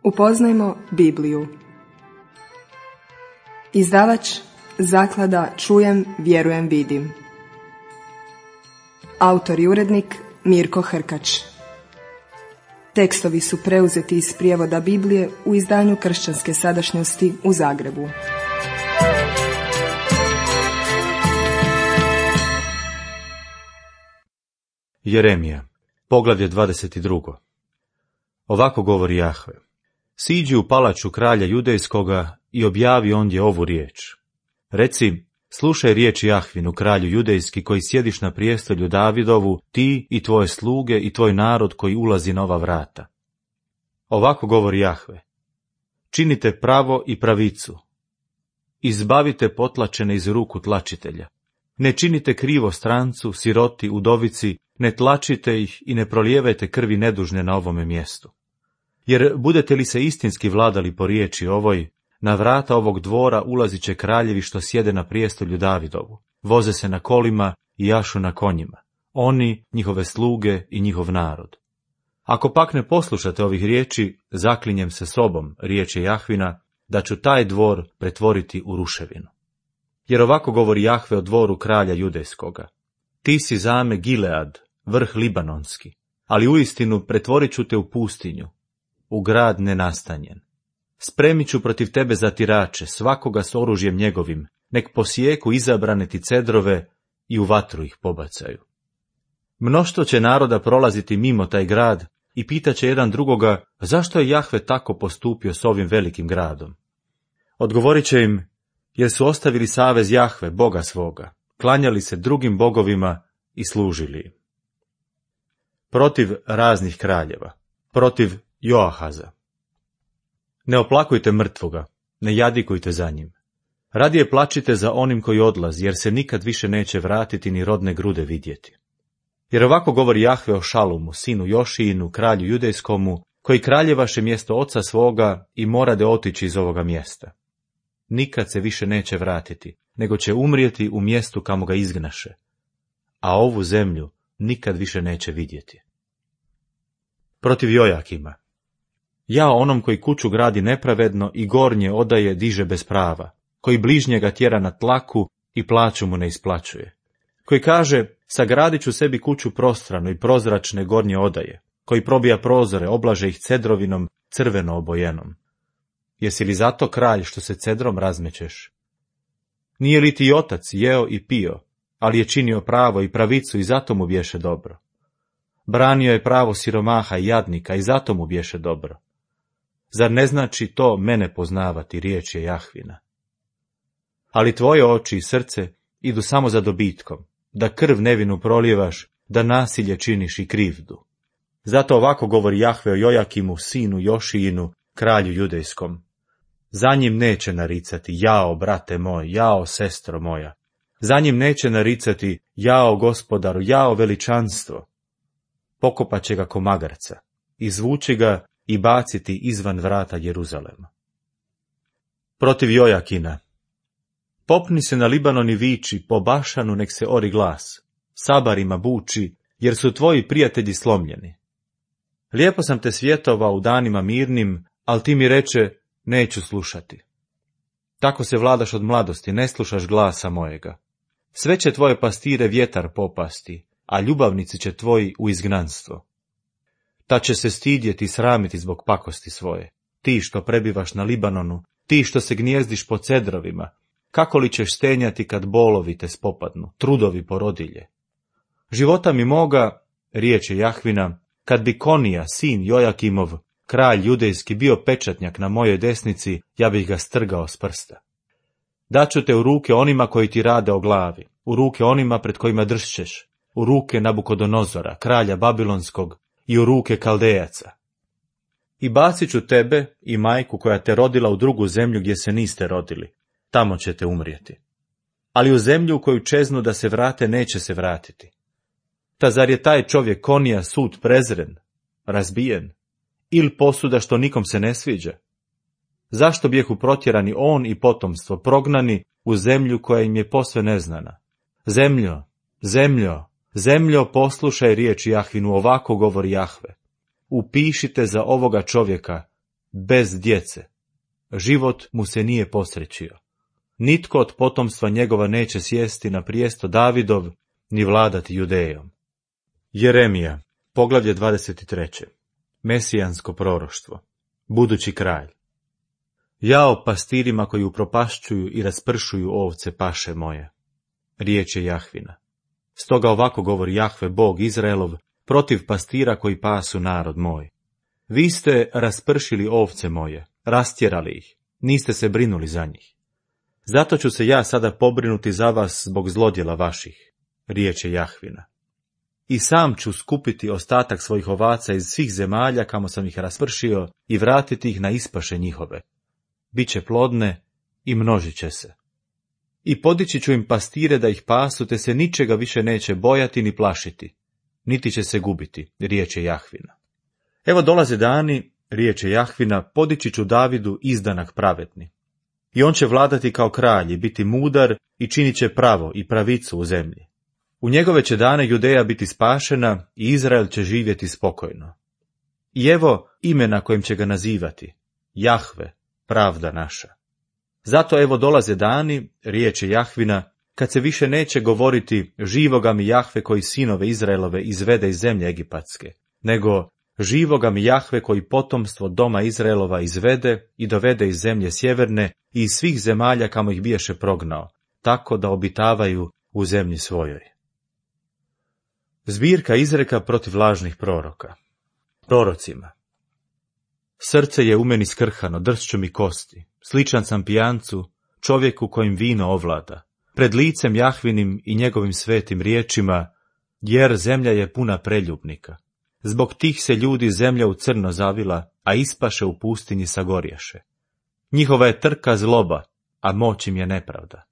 Upoznajmo Bibliju. Izdavač Zaklada Čujem, vjerujem, vidim. Autor i urednik Mirko Hrkač. Tekstovi su preuzeti iz prijevoda Biblije u izdanju Kršćanske sadašnjosti u Zagrebu. Jeremija, poglavlje 22. Ovako govori Jahve: Siđi u palaču kralja judejskoga i objavi ondje ovu riječ. Reci, slušaj riječ Jahvinu, kralju judejski, koji sjediš na prijestolju Davidovu, ti i tvoje sluge i tvoj narod koji ulazi na ova vrata. Ovako govori Jahve: činite pravo i pravicu. Izbavite potlačene iz ruku tlačitelja. Ne činite krivo strancu, siroti, udovici, ne tlačite ih i ne prolijevajte krvi nedužne na ovome mjestu. Jer budete li se istinski vladali po riječi ovoj, na vrata ovog dvora ulazit će kraljevi što sjede na prijestolju Davidovu, voze se na kolima i jašu na konjima, oni, njihove sluge i njihov narod. Ako pak ne poslušate ovih riječi, zaklinjem se sobom, riječ je Jahvina, da ću taj dvor pretvoriti u ruševinu. Jer ovako govori Jahve o dvoru kralja judejskoga: ti si zame Gilead, vrh libanonski, ali uistinu pretvorit ću te u pustinju, u grad nenastanjen. Spremit ću protiv tebe zatirače, svakoga s oružjem njegovim, nek posijeku izabrane ti cedrove i u vatru ih pobacaju. Mnoštvo će naroda prolaziti mimo taj grad i pitaće jedan drugoga, zašto je Jahve tako postupio s ovim velikim gradom? Odgovorit će im, jer su ostavili savez Jahve, Boga svoga, klanjali se drugim bogovima i služili im. Protiv raznih kraljeva, protiv Joahaza. Ne oplakujte mrtvoga, ne jadikujte za njim. Radije plačite za onim koji odlazi, jer se nikad više neće vratiti ni rodne grude vidjeti. Jer ovako govori Jahve o Šalumu, sinu Jošijinu, kralju judejskomu, koji kraljevaše mjesto oca svoga i morade otići iz ovoga mjesta. Nikad se više neće vratiti, nego će umrijeti u mjestu kamo ga izgnaše, a ovu zemlju nikad više neće vidjeti. Protiv Jojakima. Jao onom koji kuću gradi nepravedno i gornje odaje diže bez prava, koji bližnjega tjera na tlaku i plaću mu ne isplaćuje, koji kaže, sagradit ću sebi kuću prostranu i prozračne gornje odaje, koji probija prozore, oblaže ih cedrovinom crveno obojenom. Jesi li zato kralj što se cedrom razmećeš? Nije li ti otac jeo i pio, ali je činio pravo i pravicu i zato mu bješe dobro? Branio je pravo siromaha i jadnika i zato mu bješe dobro. Zar ne znači to mene poznavati, riječ je Jahvina? Ali tvoje oči i srce idu samo za dobitkom, da krv nevinu prolijevaš, da nasilje činiš i krivdu. Zato ovako govori Jahve o Jojakimu, sinu Jošijinu, kralju judejskom. Za njim neće naricati, jao, brate moj, jao, sestro moja. Za njim neće naricati, jao, gospodaru, jao, veličanstvo. Pokopat će ga ko magarca, izvući ga i baciti izvan vrata Jeruzalema. Protiv Jojakina. Popni se na Libanon i viči, po Bašanu nek se ori glas, sabarima buči, jer su tvoji prijatelji slomljeni. Lijepo sam te svjetovao u danima mirnim, ali ti mi reče, neću slušati. Tako se vladaš od mladosti, ne slušaš glasa mojega. Sve će tvoje pastire vjetar popasti, a ljubavnici će tvoji u izgnanstvo. Ta će se stidjeti i sramiti zbog pakosti svoje. Ti što prebivaš na Libanonu, ti što se gnjezdiš po cedrovima, kako li ćeš stenjati kad bolovi te spopadnu, trudovi porodilje? Života mi moga, riječ je Jahvina, kad bi Konija, sin Jojakimov, kralj judejski, bio pečatnjak na mojoj desnici, ja bih ga strgao s prsta. Daću te u ruke onima koji ti rade o glavi, u ruke onima pred kojima dršćeš, u ruke Nabukodonozora, kralja Babilonskog, i u ruke Kaldejaca. I bacit ću tebe i majku koja te rodila u drugu zemlju gdje se niste rodili, tamo ćete umrijeti. Ali u zemlju u koju čeznu da se vrate neće se vratiti. Ta zar je taj čovjek Konija sud prezren, razbijen, ili posuda što nikom se ne sviđa? Zašto bijehu protjerani on i potomstvo, prognani u zemlju koja im je posve neznana? Zemljo, zemljo, zemljo, poslušaj riječ Jahvinu, ovako govori Jahve. Upišite za ovoga čovjeka bez djece. Život mu se nije posrećio. Nitko od potomstva njegova neće sjesti na prijesto Davidov, ni vladati Judejom. Jeremija, poglavlje 23. Mesijansko proroštvo. Budući kralj. Jao pastirima koji upropašćuju i raspršuju ovce paše moje. Riječ je Jahvina. Stoga ovako govori Jahve, Bog Izraelov, protiv pastira koji pasu narod moj. Vi ste raspršili ovce moje, rastjerali ih, niste se brinuli za njih. Zato ću se ja sada pobrinuti za vas zbog zlodjela vaših. Riječ je Jahvina. I sam ću skupiti ostatak svojih ovaca iz svih zemalja kamo sam ih raspršio i vratiti ih na ispaše njihove. Biće plodne i množit će se. I podići ću im pastire da ih pasu, te se ničega više neće bojati ni plašiti, niti će se gubiti, riječ je Jahvina. Evo dolaze dani, riječ je Jahvina, podići ću Davidu izdanak pravedni. I on će vladati kao kralj i biti mudar i činit će pravo i pravicu u zemlji. U njegove će dane Judeja biti spašena i Izrael će živjeti spokojno. I evo imena kojim će ga nazivati, Jahve, pravda naša. Zato evo dolaze dani, riječ je Jahvina, kad se više neće govoriti živoga mi Jahve koji sinove Izraelove izvede iz zemlje egipatske, nego živoga mi Jahve koji potomstvo doma Izraelova izvede i dovede iz zemlje sjeverne i iz svih zemalja kamo ih biješe prognao, tako da obitavaju u zemlji svojoj. Zbirka izreka protiv lažnih proroka. Prorocima. Srce je u meni skrhano, dršću mi kosti, sličan sam pijancu, čovjeku kojim vino ovlada, pred licem Jahvinim i njegovim svetim riječima, jer zemlja je puna preljubnika. Zbog tih se ljudi zemlja u crno zavila, a ispaše u pustinji sagorješe. Njihova je trka zloba, a moć im je nepravda.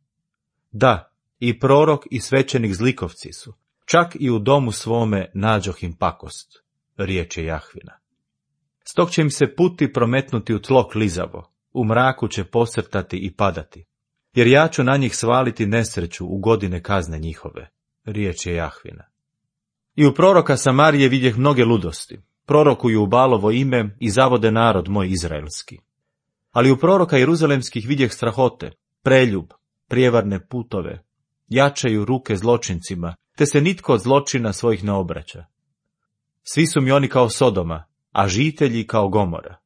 Da, i prorok i svećenik zlikovci su, čak i u domu svome nađoh im pakost, riječ je Jahvina. Stog će im se puti prometnuti u tlo klizavo, u mraku će posrtati i padati, jer ja ću na njih svaliti nesreću u godine kazne njihove, riječ je Jahvina. I u proroka Samarije vidjeh mnoge ludosti, prorokuju u Balovo ime i zavode narod moj izraelski. Ali u proroka Jeruzalemskih vidjeh strahote, preljub, prijevarne putove, jačaju ruke zločincima, te se nitko od zločina svojih ne obraća. Svi su mi oni kao Sodoma, a žitelji kao Gomora.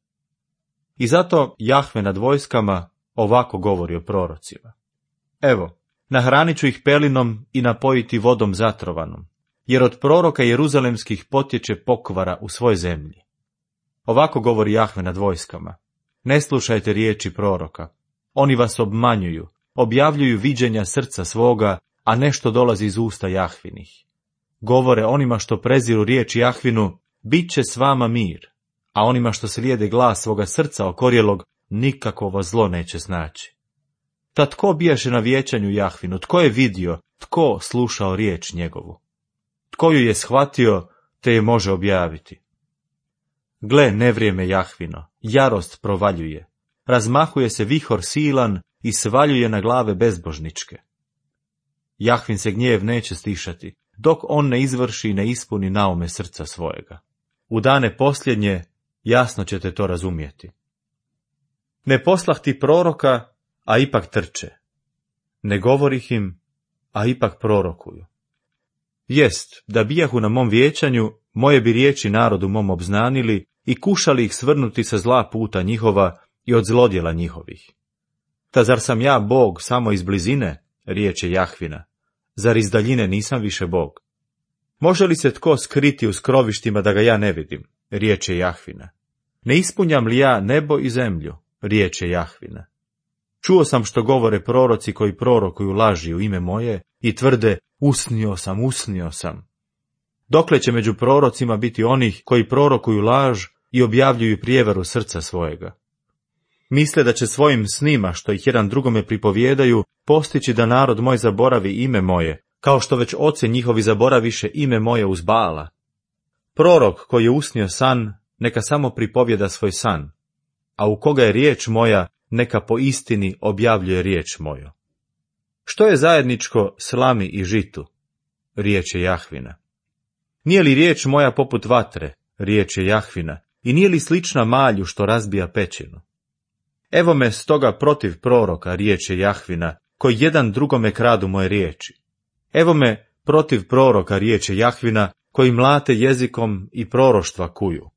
I zato Jahve nad vojskama ovako govori o prorocima. Evo, nahranit ću ih pelinom i napojiti vodom zatrovanom, jer od proroka Jeruzalemskih potječe pokvara u svoj zemlji. Ovako govori Jahve nad vojskama. Ne slušajte riječi proroka. Oni vas obmanjuju, objavljuju viđenja srca svoga, a nešto dolazi iz usta Jahvinih. Govore onima što preziru riječ Jahvinu, bit će s vama mir, a onima što slijede glas svoga srca okorjelog, nikakvo zlo neće snaći. Ta tko bijaše na vijećanju Jahvinu, tko je vidio, tko slušao riječ njegovu? Tko ju je shvatio, te je može objaviti? Gle, nevrijeme Jahvino, jarost provaljuje, razmahuje se vihor silan i svaljuje na glave bezbožničke. Jahvin se gnjev neće stišati, dok on ne izvrši i ne ispuni naume srca svojega. U dane posljednje jasno ćete to razumjeti. Ne poslah ti proroka, a ipak trče. Ne govorih im, a ipak prorokuju. Jest, da bijahu na mom vijećanju, moje bi riječi narodu mom obznanili i kušali ih svrnuti sa zla puta njihova i od zlodjela njihovih. Ta zar sam ja Bog samo iz blizine, riječ je Jahvina, zar iz daljine nisam više Bog? Može li se tko skriti u skrovištima da ga ja ne vidim, riječ je Jahvina? Ne ispunjam li ja nebo i zemlju, riječ je Jahvina? Čuo sam što govore proroci koji prorokuju laži u ime moje i tvrde, usnio sam. Dokle će među prorocima biti onih koji prorokuju laž i objavljuju prijevaru srca svojega? Misle da će svojim snima, što ih jedan drugome pripovjedaju, postići da narod moj zaboravi ime moje, kao što već oci njihovi zaboraviše ime moje uz Baala. Prorok koji je usnio san, neka samo pripovjeda svoj san, a u koga je riječ moja, neka po istini objavljuje riječ moju. Što je zajedničko slami i žitu? Riječ je Jahvina. Nije li riječ moja poput vatre? Riječ je Jahvina. i nije li slična malju što razbija pećinu? Evo me stoga protiv proroka, riječe Jahvina, koji jedan drugome kradu moje riječi. Evo me protiv proroka, riječe Jahvina, koji mlate jezikom i proroštva kuju.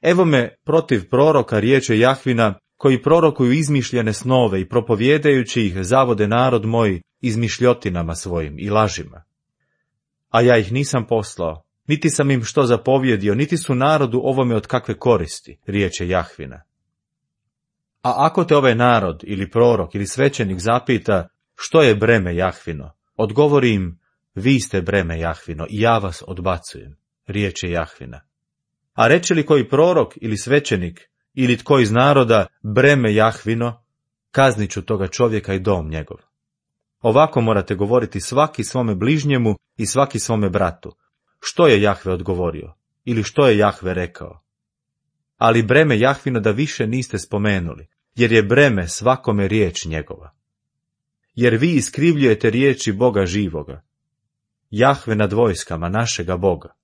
Evo me protiv proroka, riječe Jahvina, koji prorokuju izmišljene snove i propovjedajući ih zavode narod moj izmišljotinama svojim i lažima. A ja ih nisam poslao, niti sam im što zapovjedio, niti su narodu ovome od kakve koristi, riječe Jahvina. A ako te ovaj narod ili prorok ili svećenik zapita što je breme Jahvino, odgovori im, vi ste breme Jahvino i ja vas odbacujem, riječe Jahvina. A reče li koji prorok ili svećenik ili tko iz naroda breme Jahvino, kaznit ću toga čovjeka i dom njegov. Ovako morate govoriti svaki svome bližnjemu i svaki svome bratu. Što je Jahve odgovorio ili što je Jahve rekao? Ali breme Jahvino da više niste spomenuli, jer je breme svakome riječ njegova. Jer vi iskrivljujete riječi Boga živoga. Jahve nad vojskama našega Boga.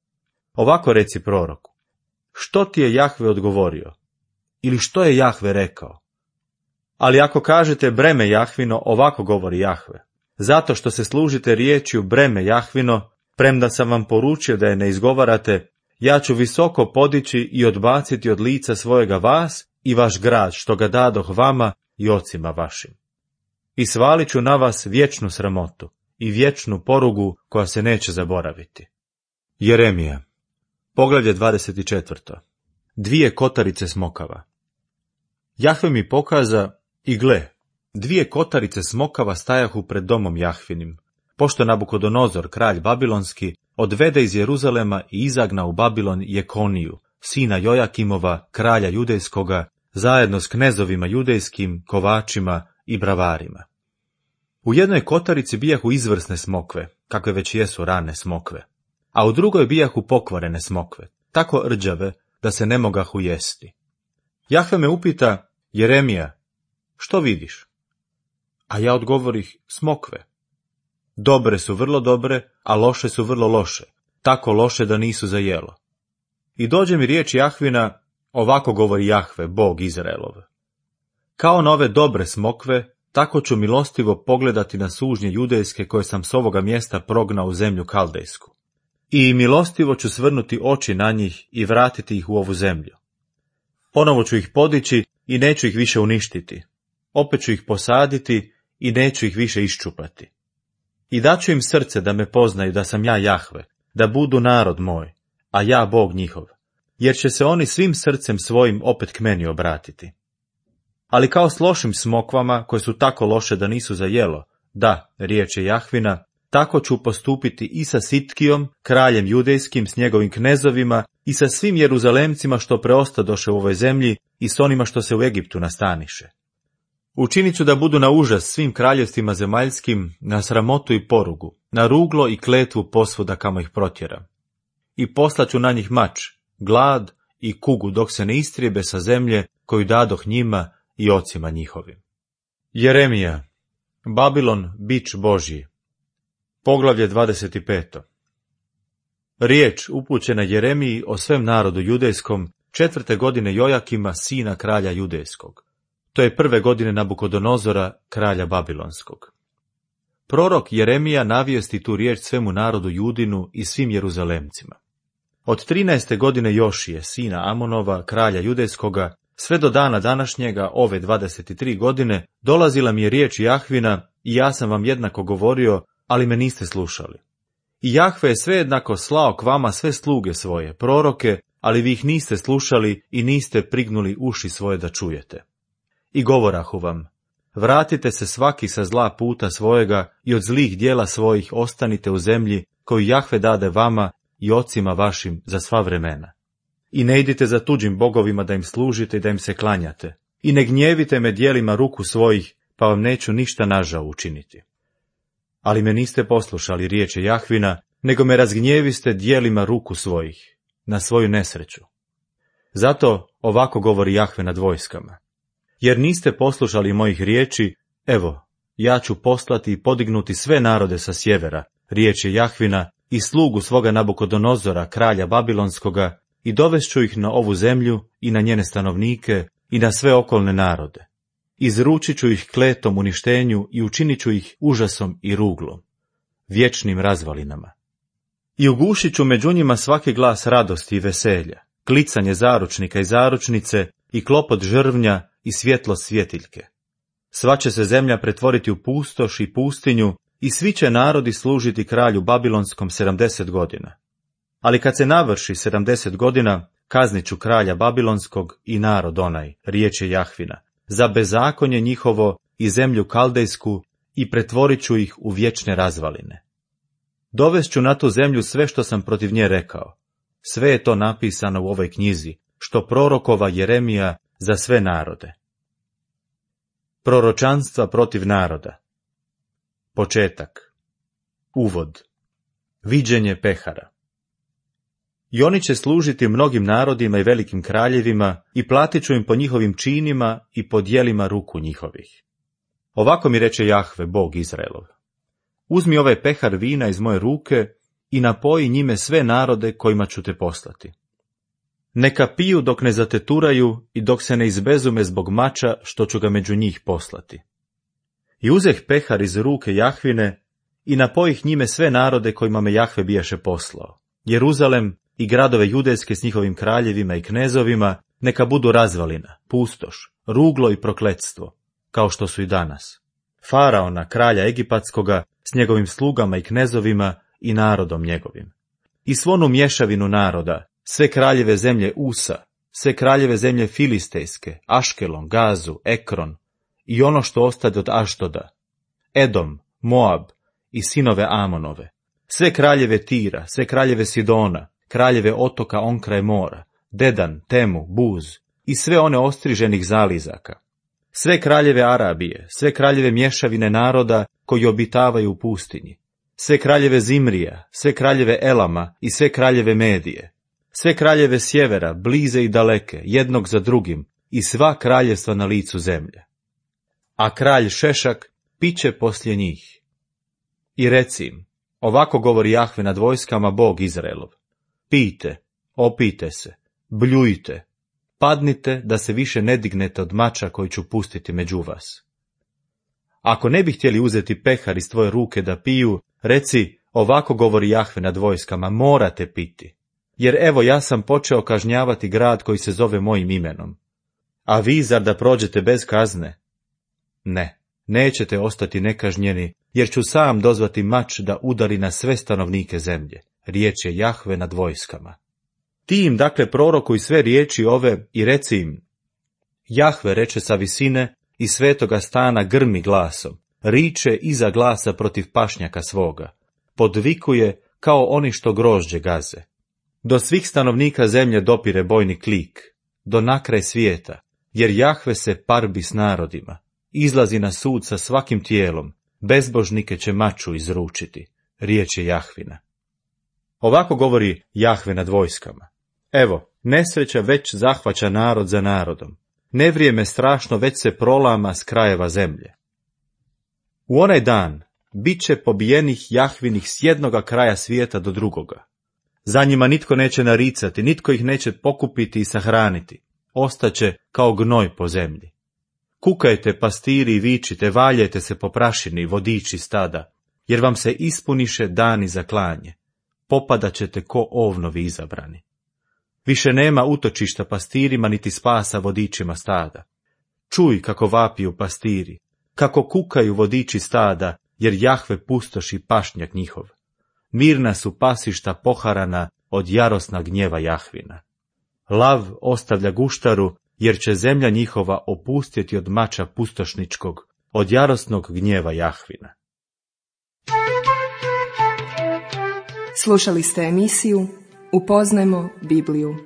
Ovako reci proroku. Što ti je Jahve odgovorio? Ili što je Jahve rekao? Ali ako kažete breme Jahvino, ovako govori Jahve. Zato što se služite riječju breme Jahvino, premda sam vam poručio da je ne izgovarate, ja ću visoko podići i odbaciti od lica svojega vas i vaš grad, što ga dadoh vama i ocima vašim. I svalit ću na vas vječnu sramotu i vječnu porugu koja se neće zaboraviti. Jeremija, poglavlje 24. 2 kotarice smokava. Jahve mi pokaza, i gle, 2 kotarice smokava stajahu pred domom Jahvinim, pošto Nabukodonozor, kralj babilonski, odvede iz Jeruzalema i izagna u Babilon Jekoniju, sina Jojakimova, kralja judejskoga, zajedno s knezovima judejskim, kovačima i bravarima. U jednoj kotarici bijahu izvrsne smokve, kakve već jesu rane smokve, a u drugoj bijahu pokvarene smokve, tako rđave da se ne mogahu jesti. Jahve me upita, Jeremija, što vidiš? A ja odgovorih, smokve. Dobre su vrlo dobre, a loše su vrlo loše, tako loše da nisu za jelo. I dođe mi riječ Jahvina, ovako govori Jahve, Bog Izraelov. Kao na ove dobre smokve, tako ću milostivo pogledati na sužnje judejske koje sam s ovoga mjesta prognao u zemlju kaldejsku. I milostivo ću svrnuti oči na njih i vratiti ih u ovu zemlju. Ponovo ću ih podići i neću ih više uništiti. Opet ću ih posaditi i neću ih više iščupati. I daću im srce da me poznaju da sam ja Jahve, da budu narod moj, a ja Bog njihov, jer će se oni svim srcem svojim opet k meni obratiti. Ali kao s lošim smokvama, koje su tako loše da nisu za jelo, da, riječ je Jahvina, tako ću postupiti i sa Sitkijom, kraljem judejskim, s njegovim knezovima, i sa svim Jeruzalemcima što preostadoše u ovoj zemlji i s onima što se u Egiptu nastaniše. Učinit ću da budu na užas svim kraljevstvima zemaljskim, na sramotu i porugu, na ruglo i kletvu posvuda kamo ih protjeram. I poslaću na njih mač, glad i kugu dok se ne istrijebe sa zemlje koju dadoh njima i ocima njihovim. Jeremija, Babilon, bič Božji. Poglavlje 25. Riječ upućena Jeremiji o svem narodu judejskom 4. godine Jojakima, sina kralja judejskog. To je 1. godine Nabukodonozora, kralja babilonskog. Prorok Jeremija navijesti tu riječ svemu narodu Judinu i svim Jeruzalemcima. Od 13. godine Jošije, sina Amonova, kralja judejskoga, sve do dana današnjega, ove 23 godine, dolazila mi je riječ Jahvina i ja sam vam jednako govorio, ali me niste slušali. I Jahve je svejednako slao k vama sve sluge svoje, proroke, ali vi ih niste slušali i niste prignuli uši svoje da čujete. I govorahu vam, vratite se svaki sa zla puta svojega i od zlih dijela svojih ostanite u zemlji koju Jahve dade vama i ocima vašim za sva vremena. I ne idite za tuđim bogovima da im služite i da im se klanjate. I ne gnjevite me djelima ruku svojih, pa vam neću ništa nažao učiniti. Ali me niste poslušali riječi Jahvina, nego me razgnjeviste djelima ruku svojih, na svoju nesreću. Zato ovako govori Jahve nad vojskama. Jer niste poslušali mojih riječi, evo, ja ću poslati i podignuti sve narode sa sjevera, riječi Jahvina, i slugu svoga Nabukodonozora, kralja babilonskoga, i dovešću ih na ovu zemlju i na njene stanovnike i na sve okolne narode. Izručit ću ih kletom uništenju i učinit ću ih užasom i ruglom, vječnim razvalinama. I ugušit ću među njima svaki glas radosti i veselja, klicanje zaručnika i zaručnice i klopot žrvnja i svjetlo svjetiljke. Sva će se zemlja pretvoriti u pustoš i pustinju i svi će narodi služiti kralju Babilonskom 70 godina. Ali kad se navrši 70 godina, kaznit ću kralja Babilonskog i narod onaj, riječ je Jahvina, za bezakonje njihovo i zemlju kaldejsku i pretvorit ću ih u vječne razvaline. Dovest ću na tu zemlju sve što sam protiv nje rekao. Sve je to napisano u ovoj knjizi, što prorokova Jeremija za sve narode. Proročanstva protiv naroda. Početak. Uvod. Viđenje pehara. I oni će služiti mnogim narodima i velikim kraljevima i platit ću im po njihovim činima i po djelima ruku njihovih. Ovako mi reče Jahve, Bog Izraelov. Uzmi ovaj pehar vina iz moje ruke i napoji njime sve narode kojima ću te poslati. Neka piju dok ne zateturaju i dok se ne izbezume zbog mača što ću ga među njih poslati. I uzeh pehar iz ruke Jahvine i napojih njime sve narode kojima me Jahve bijaše poslao. Jeruzalem i gradove judejske s njihovim kraljevima i knezovima neka budu razvalina, pustoš, ruglo i prokletstvo, kao što su i danas. Faraona, kralja Egipatskoga, s njegovim slugama i knezovima i narodom njegovim. I svonu mješavinu naroda, sve kraljeve zemlje Usa, sve kraljeve zemlje Filistejske, Aškelon, Gazu, Ekron, i ono što ostade od Aštoda, Edom, Moab i sinove Amonove, sve kraljeve Tira, sve kraljeve Sidona, kraljeve otoka onkraj mora, Dedan, Temu, Buz i sve one ostriženih zalizaka, sve kraljeve Arabije, sve kraljeve mješavine naroda koji obitavaju u pustinji, sve kraljeve Zimrija, sve kraljeve Elama i sve kraljeve Medije, sve kraljeve sjevera, blize i daleke, jednog za drugim, i sva kraljevstva na licu zemlje. A kralj Šešak piće poslije njih. I reci im, ovako govori Jahve nad vojskama, Bog Izraelov. Pijte, opijte se, bljujte, padnite da se više ne dignete od mača koji ću pustiti među vas. Ako ne bi htjeli uzeti pehar iz tvoje ruke da piju, reci, ovako govori Jahve nad vojskama, morate piti. Jer evo ja sam počeo kažnjavati grad koji se zove mojim imenom. A vi zar da prođete bez kazne? Ne, nećete ostati nekažnjeni, jer ću sam dozvati mač da udari na sve stanovnike zemlje. Riječ je Jahve nad vojskama. Ti im dakle prorokuj sve riječi ove i reci im, Jahve reče sa visine i svetoga stana grmi glasom, riče iza glasa protiv pašnjaka svoga, podvikuje kao oni što grožđe gaze. Do svih stanovnika zemlje dopire bojni klik, do nakraj svijeta, jer Jahve se parbi s narodima, izlazi na sud sa svakim tijelom, bezbožnike će maču izručiti. Riječ je Jahvina. Ovako govori Jahve nad vojskama. Evo, nesreća već zahvaća narod za narodom. Nevrijeme strašno već se prolama s krajeva zemlje. U onaj dan bit će pobijenih Jahvinih s jednoga kraja svijeta do drugoga. Za njima nitko neće naricati, nitko ih neće pokupiti i sahraniti. Ostaće kao gnoj po zemlji. Kukajte, pastiri, i vičite, valjajte se po prašini, vodiči stada, jer vam se ispuniše dani za klanje. Popadat ćete ko ovnovi izabrani. Više nema utočišta pastirima, niti spasa vodičima stada. Čuj kako vapiju pastiri, kako kukaju vodiči stada, jer Jahve pustoši pašnjak njihov. Mirna su pasišta poharana od jarosna gnjeva Jahvina. Lav ostavlja guštaru, jer će zemlja njihova opustjeti od mača pustošničkog, od jarosnog gnjeva Jahvina. Slušali ste emisiju Upoznajmo Bibliju.